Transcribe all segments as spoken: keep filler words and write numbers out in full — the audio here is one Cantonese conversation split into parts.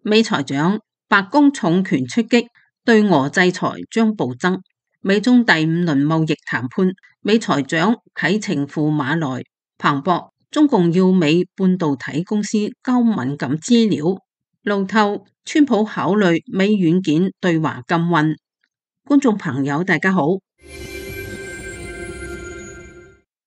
美財長，白宮重拳出擊，對俄制裁將暴增。美中第五輪貿易談判，美財長啟程赴馬來，彭博，中共要美半導體公司交敏感資料。路透，川普考慮美軟件對華禁運。觀眾朋友大家好。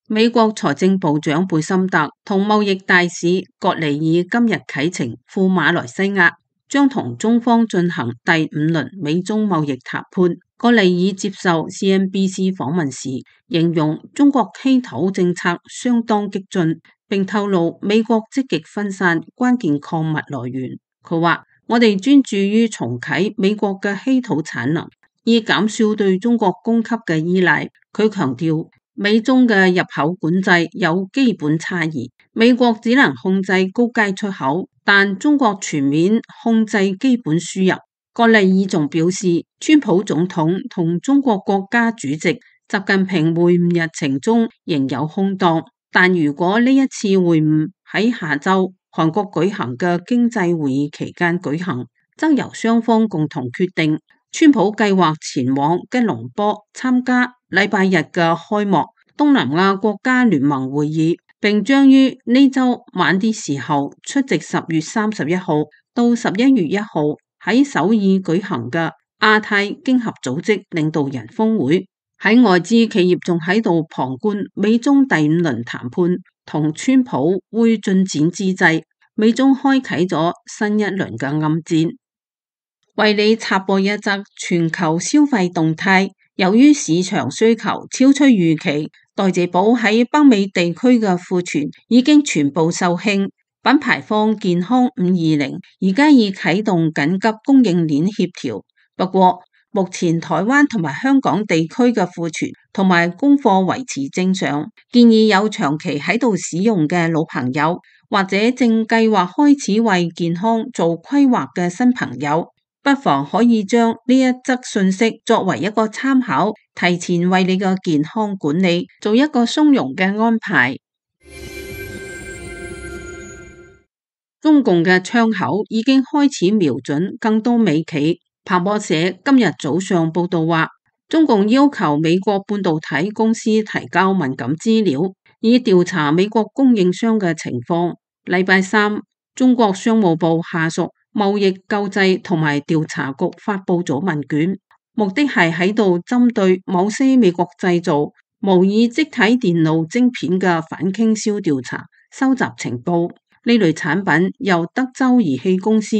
美國財政部長貝森特同貿易大使葛尼爾今日啟程赴馬來西亞，將同中方進行第五輪美中貿易談判。葛尼爾接受 C N B C 訪問時，形容中國稀土政策相當激進，並透露美國積極分散關鍵礦物來源。佢話：我哋專注於重啟美國嘅稀土產能，以減少對中國供給嘅依賴。佢強調，美中嘅入口管制有基本差異，美國只能控制高階出口，但中國全面控制基本輸入。葛尼爾仲表示，川普總統同中國國家主席習近平會晤日程中仍有空檔，但如果呢一次會晤喺下週韓國舉行嘅經濟會議期間舉行，則由雙方共同決定。川普計劃前往吉隆坡參加禮拜日嘅開幕東南亞國家聯盟會議，並將於呢週晚啲時候出席十月三十一號到十一月一號喺首爾舉行嘅亞太經合組織領導人峰會。喺外資企業仲喺度旁觀美中第五輪談判同川普會進展之際，美中開啟咗新一輪嘅暗戰。為你插播一則全球消費動態，由於市場需求超出預期，代謝寶喺北美地區嘅庫存已經全部售罄。品牌方健康五二零而家已啟動緊急供應鏈協調，不過目前台灣同埋香港地區嘅庫存同埋供貨維持正常，建議有長期喺度使用嘅老朋友，或者正計劃開始為健康做規劃嘅新朋友，不妨可以將呢一則信息作為一個參考，提前為你嘅健康管理做一個鬆容嘅安排。中共嘅槍口已經開始瞄準更多美企。彭博社今日早上報道話，中共要求美國半導體公司提交敏感資料，以調查美國供應商嘅情況。禮拜三，中國商務部下屬貿易救濟同埋調查局發佈咗問卷，目的係喺度針對某些美國製造模擬積體電路晶片嘅反傾銷調查，收集情報。呢類產品由德州儀器公司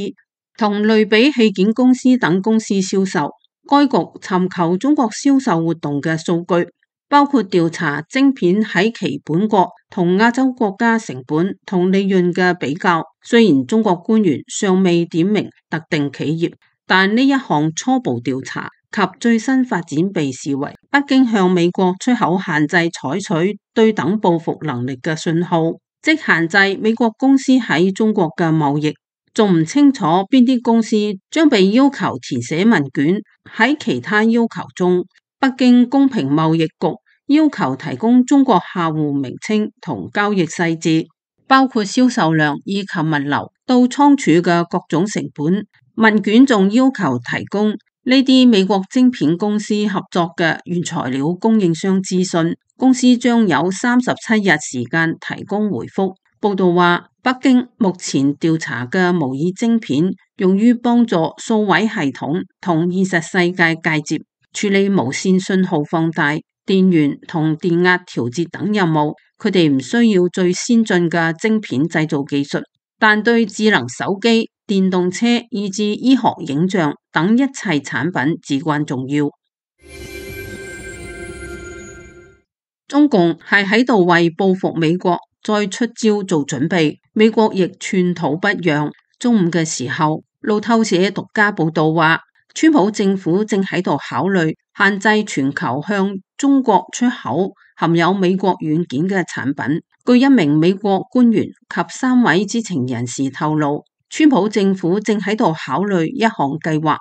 同類比器件公司等公司銷售。該局尋求中國銷售活動嘅數據，包括調查晶片喺其本國同亞洲國家成本同利潤嘅比較。雖然中國官員尚未點名特定企業，但呢一項初步調查及最新發展被視為北京向美國出口限制採取對等報復能力嘅信號，即限制美國公司喺中國嘅貿易。仲唔清楚邊啲公司將被要求填寫問卷。喺其他要求中，北京公平貿易局要求提供中國客戶名稱同交易細節，包括銷售量以及物流到倉儲嘅各種成本。問卷仲要求提供呢啲美國晶片公司合作嘅原材料供應商資訊。公司將有三十七日時間提供回覆。報道話，北京目前調查嘅模擬晶片用於幫助數位系統同現實世界介接，處理無線信號放大、電源同電壓調節等任務。佢哋唔需要最先進嘅晶片製造技術，但對智能手機、電動車以至醫學影像等一切產品至關重要。中共係喺度為報復美國再出招做準備，美國亦寸土不讓。中午嘅時候，路透社獨家報道話，川普政府正喺度考慮限制全球向中國出口含有美國軟件嘅產品。據一名美國官員及三位知情人士透露，川普政府正喺度考慮一項計劃，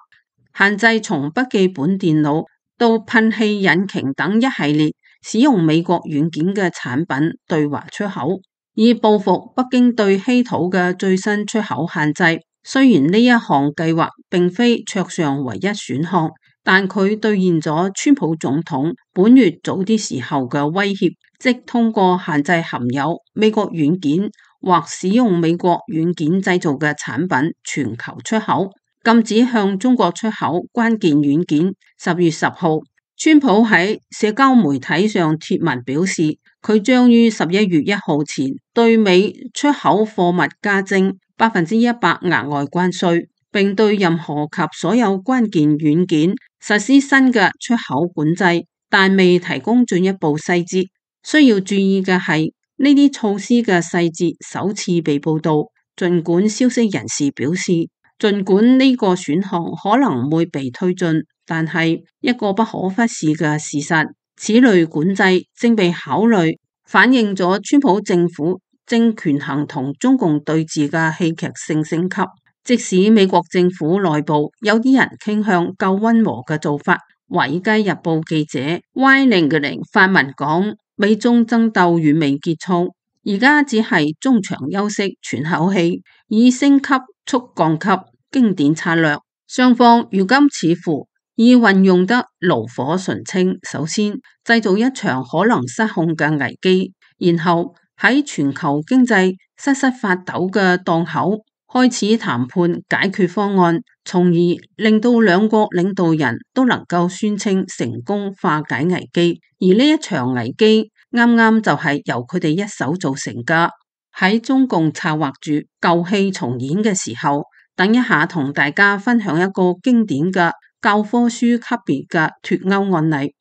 限制從筆記本電腦到噴氣引擎等一系列使用美國軟件嘅產品對華出口，以報復北京對稀土嘅最新出口限制。雖然呢一項計劃並非桌上唯一選項，但佢兌現咗川普總統本月早啲時候嘅威脅，即通過限制含有美國軟件或使用美國軟件製造嘅產品全球出口，禁止向中國出口關鍵軟件。十月十號，川普喺社交媒體上貼文表示，佢將於十一月一號前對美出口貨物加徵百分之一百額外關稅，並對任何及所有關鍵軟件實施新嘅出口管制，但未提供進一步細節。需要注意嘅係，呢啲措施嘅細節首次被報道，儘管消息人士表示，儘管呢個選項可能會被推進，但係一個不可忽視嘅事實，此類管制正被考慮，反映咗川普政府正權衡同中共對峙嘅戲劇性升級。即使美國政府內部有啲人傾向較溫和嘅做法，華爾街日報記者 Y 零零發文講，美中爭鬥遠未結束，而家只係中場休息喘口氣，以升級促降級經典策略。雙方如今似乎已運用得爐火純青，首先製造一場可能失控嘅危機，然後喺全球經濟瑟瑟發抖嘅檔口開始談判解決方案，從而令到兩國領導人都能夠宣稱成功化解危機。而呢一場危機啱啱就係由佢哋一手造成㗎。喺中共策劃住舊戲重演嘅時候，等一下同大家分享一個經典嘅教科書級別嘅脫歐案例。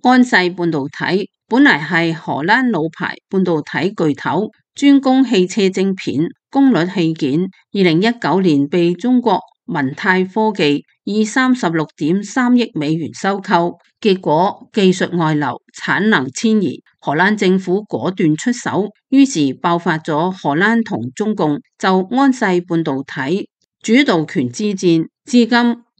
安世半導體本嚟係荷蘭老牌半導體巨頭，專攻汽車晶片、功率器件。二零一九年被中國文泰科技以三十六點三億美元收購，結果技術外流、產能遷移，荷蘭政府果斷出手，於是爆發咗荷蘭同中共就安世半導體主導權之戰，至今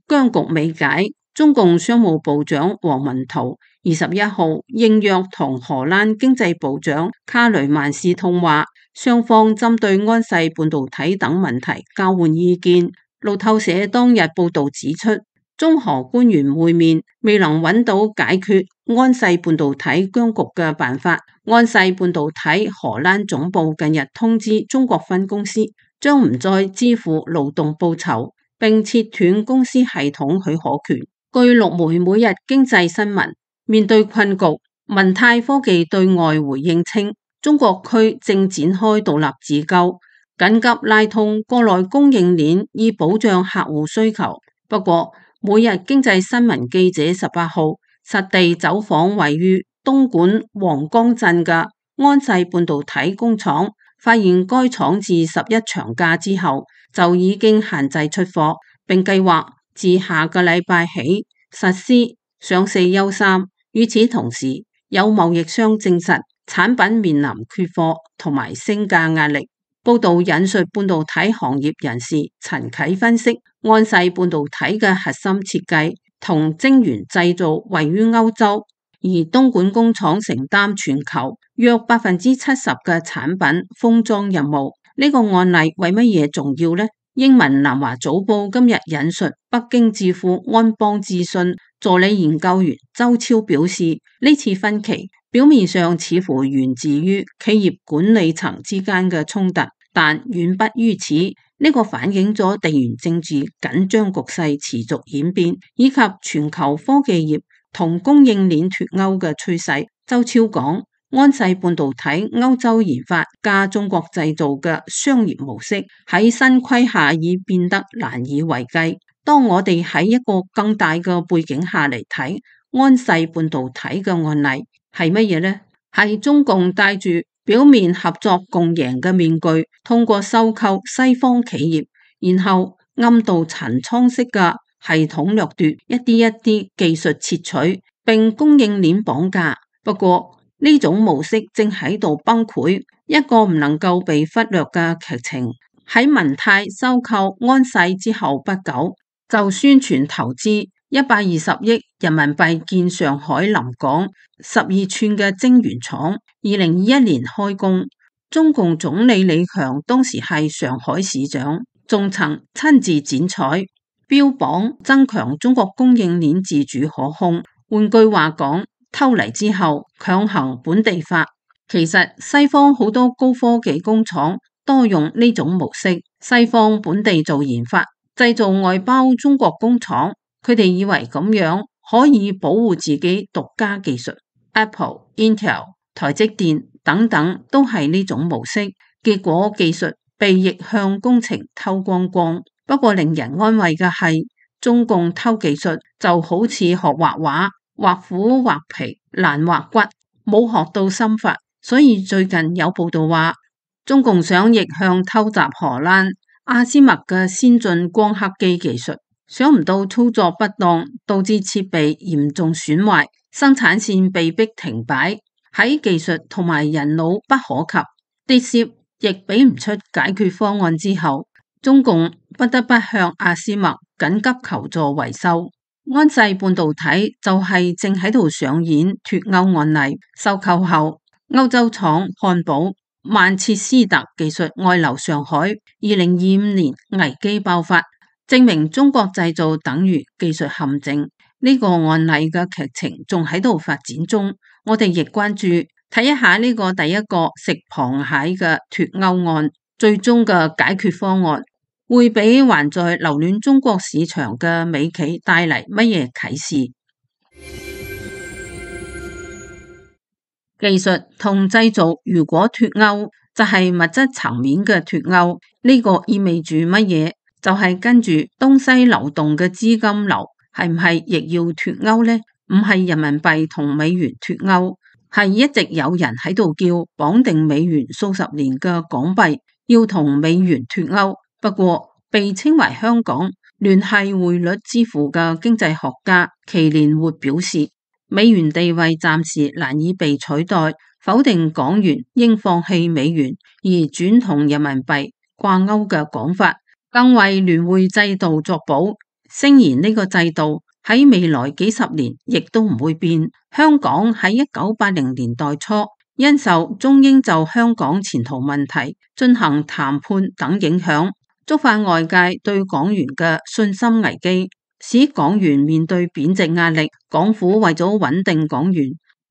僵局未解。中共商務部長王文濤二十一號應約同荷蘭經濟部長卡雷曼斯通話，雙方針對安世半導體等問題交換意見。路透社當日報道指出，中荷官員會面未能揾到解決安世半導體僵局嘅辦法。安世半導體荷蘭總部近日通知中國分公司，將唔再支付勞動報酬，並切斷公司系統許可權。據陸媒每日經濟新聞，面對困局，文泰科技對外回應稱，中國區正展開獨立自救，緊急拉通國內供應鏈，以保障客戶需求。不過，每日經濟新聞記者十八號實地走訪位於東莞黃岡鎮嘅安世半導體工廠，發現該廠自十一長假之後就已經限制出貨，並計劃自下個禮拜起實施上四休三。與此同時，有貿易商證實產品面臨缺貨同埋升價壓力。報道引述半導體行業人士陳啟分析，安世半導體嘅核心設計同晶圓製造位於歐洲，而東莞工廠承擔全球約百分之七十嘅產品封裝任務。呢、這個案例為乜嘢重要呢？英文南華早報今日引述北京智庫安邦諮詢助理研究員周超表示，呢次分歧表面上似乎源自於企業管理層之間嘅衝突，但遠不於此。呢、這個反映咗地緣政治緊張局勢持續演變，以及全球科技業同供應鏈脫鈎嘅趨勢。周超講，安世半導體歐洲研發加中國製造嘅商業模式喺新規下已變得難以為繼。當我哋喺一個更大嘅背景下嚟睇安世半導體嘅案例係乜嘢呢？係中共戴住表面合作共贏嘅面具，通過收購西方企業，然後暗度陳倉式嘅系統掠奪，一啲一啲技術竊取，並供應鏈綁架。不過呢種模式正喺度崩潰。一個唔能夠被忽略嘅劇情，喺文泰收購安世之後不久，就宣傳投資一百二十億人民幣建上海臨港十二寸嘅晶圓廠，二零二一年開工。中共總理李強當時係上海市長，仲曾親自剪彩，標榜增強中國供應鏈自主可控。換句話講，偷嚟之後強行本地化。其實西方好多高科技工廠多用呢種模式，西方本地做研發，製造外包中國工廠，佢哋以為咁樣可以保護自己獨家技術。Apple、Intel、台積電等等都係呢種模式，結果技術被逆向工程偷光光。不過令人安慰嘅係，中共偷技術就好似學畫畫，畫虎畫皮難畫骨，冇學到心法。所以最近有報道話，中共想逆向偷襲荷蘭阿斯麥嘅先進光刻機技術，想唔到操作不當，導致設備嚴重損壞，生產線被迫停擺。喺技術同埋人腦不可及，跌攝亦俾唔出解決方案之後，中共不得不向阿斯麥緊急求助維修。安世半導體就係正喺度上演脫歐案例，收購後歐洲廠漢堡、曼徹斯特技術外流上海，二零二五年危機爆發，證明中國製造等於技術陷阱。呢個案例嘅劇情仲喺度發展中，我哋亦關注睇一下呢個第一個食螃蟹嘅脫歐案，最終嘅解決方案會俾還在留戀中國市場嘅美企帶嚟乜嘢啟示？技術同製造如果脫鈎，就係物質層面嘅脫鈎。呢個意味住乜嘢？就係跟住東西流動嘅資金流，係唔係亦要脫鈎呢？唔係人民幣同美元脫鈎，係一直有人喺度叫綁定美元數十年嘅港幣要同美元脫鈎。不過被稱為香港聯繫匯率之父嘅經濟學家祁連活表示，美元地位暫時難以被取代，否定港元應放棄美元而轉同人民幣掛鈎嘅講法，更為聯匯制度作保，聲言呢個制度喺未來幾十年亦都唔會變。香港喺一九八零年代初因受中英就香港前途問題進行談判等影響，觸發外界對港元嘅信心危機，使港元面對貶值壓力。港府為咗穩定港元，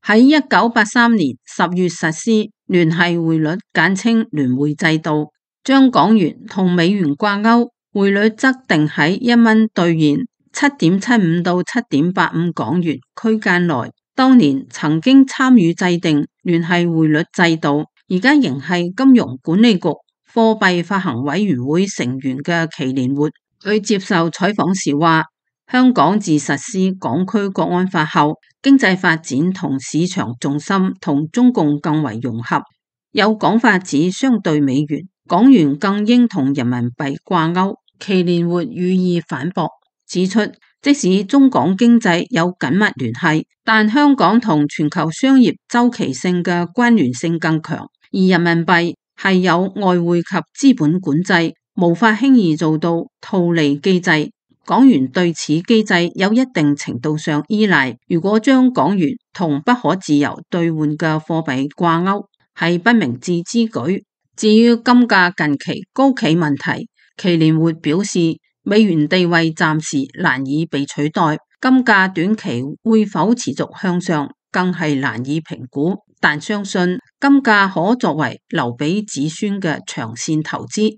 喺一九八三年十月實施聯繫匯率，簡稱聯匯制度，將港元同美元掛鈎，匯率則定喺一蚊兌現七點七五到七點八五港元區間內。當年曾經參與制定聯繫匯率制度，而家仍係金融管理局貨幣發行委員會成員嘅祁連活，佢接受採訪時話，香港自實施港區國安法後，經濟發展同市場重心同中共更為融合，有講法指相對美元，港元更應同人民幣掛鈎。祁連活予以反駁，指出即使中港經濟有緊密聯繫，但香港同全球商業周期性嘅關聯性更強，而人民幣係有外匯及資本管制，無法輕易做到套利機制。港元對此機制有一定程度上依賴，如果將港元同不可自由兌換嘅貨幣掛鈎，係不明智之舉。至於金價近期高企問題，祁連活表示，美元地位暫時難以被取代，金價短期會否持續向上，更係難以評估，但相信金價可作為留俾子孫嘅長線投資。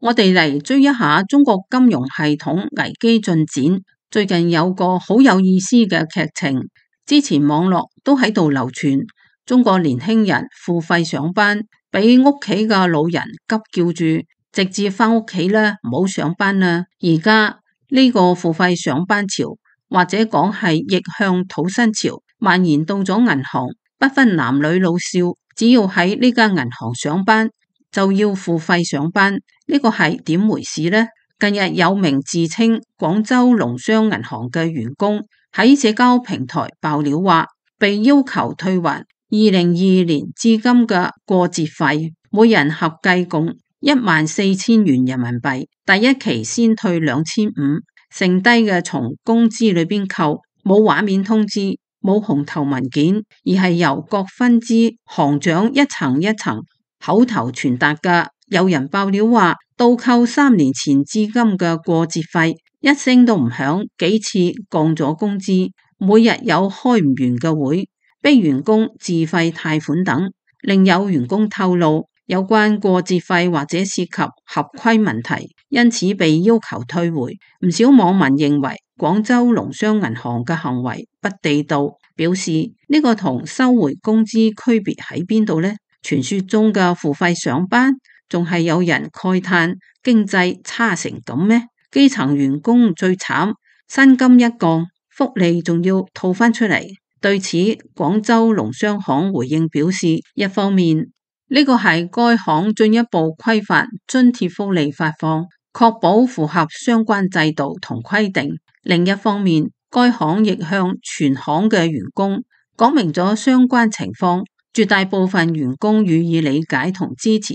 我哋嚟追一下中國金融系統危機進展。最近有個好有意思嘅劇情，之前網絡都喺度流傳，中國年輕人付費上班，俾屋企嘅老人急叫住直接翻屋企啦，唔好上班啦。而家呢個付費上班潮，或者講係逆向土薪潮，蔓延到咗銀行，不分男女老少，只要喺呢間銀行上班就要付費上班。呢個係點回事呢？近日有名自稱廣州農商銀行嘅員工喺社交平台爆料話，被要求退還二零二二年至今嘅過節費，每人合計共一萬四千元人民幣。第一期先退兩千五，剩低嘅從工資裏邊扣，冇畫面通知，冇紅頭文件，而係由各分支行長一層一層口頭傳達嘅。有人爆料話，倒扣三年前至今嘅過節費一聲都唔響，幾次降咗工資，每日有開唔完嘅會，逼員工自費貸款等。另有員工透露，有關過節費或者涉及合規問題，因此被要求退回。唔少網民認為廣州農商銀行嘅行為不地道，表示呢個同收回工資區別喺邊度呢？傳說中嘅付費上班，仲係有人慨嘆經濟差成咁咩？基層員工最慘，薪金一降，福利仲要套翻出嚟。對此，廣州農商行回應表示，一方面呢個係該行進一步規範津貼福利發放，確保符合相關制度同規定；另一方面，該行亦向全行嘅員工講明咗相關情況，絕大部分員工予以理解同支持。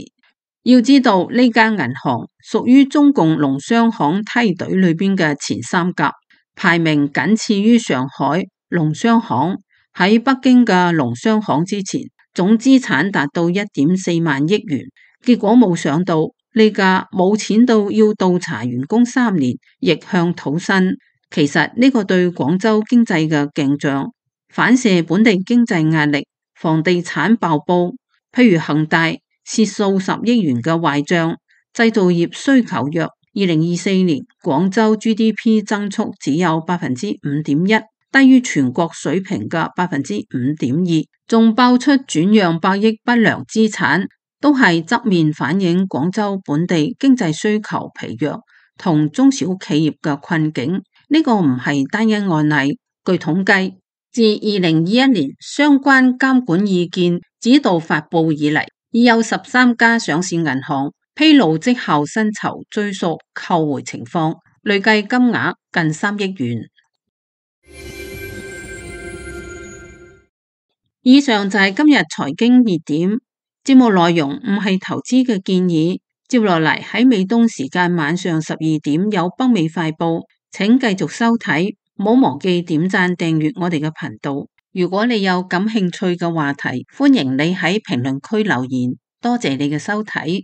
要知道呢間銀行屬於中共農商行梯隊裏邊嘅前三甲，排名僅次於上海農商行。喺北京嘅農商行之前，總資產達到一點四萬億元。結果冇想到呢家冇錢到要倒查員工三年，逆向討薪。其實呢個對廣州經濟嘅鏡像，反射本地經濟壓力，房地產爆煲，譬如恒大蝕數十億元嘅壞賬，製造業需求弱。二零二四年廣州 G D P 增速只有百分之五點一，低於全國水平嘅百分之五點二，仲爆出轉讓百億不良資產，都係側面反映廣州本地經濟需求疲弱同中小企業嘅困境。呢、這個唔係單一案例，據統計，自二零二一年相關監管意見指導發布以嚟，已有十三家上市銀行披露績效薪酬追溯扣回情況，累計金額近三億元。以上就係今日財經熱點，節目內容唔係投資嘅建議。接落嚟喺美東時間晚上十二點有北美快報，請繼續收睇，唔好忘記點讚訂閱我哋嘅頻道。如果你有感興趣嘅話題，歡迎你喺評論區留言。多謝你嘅收睇。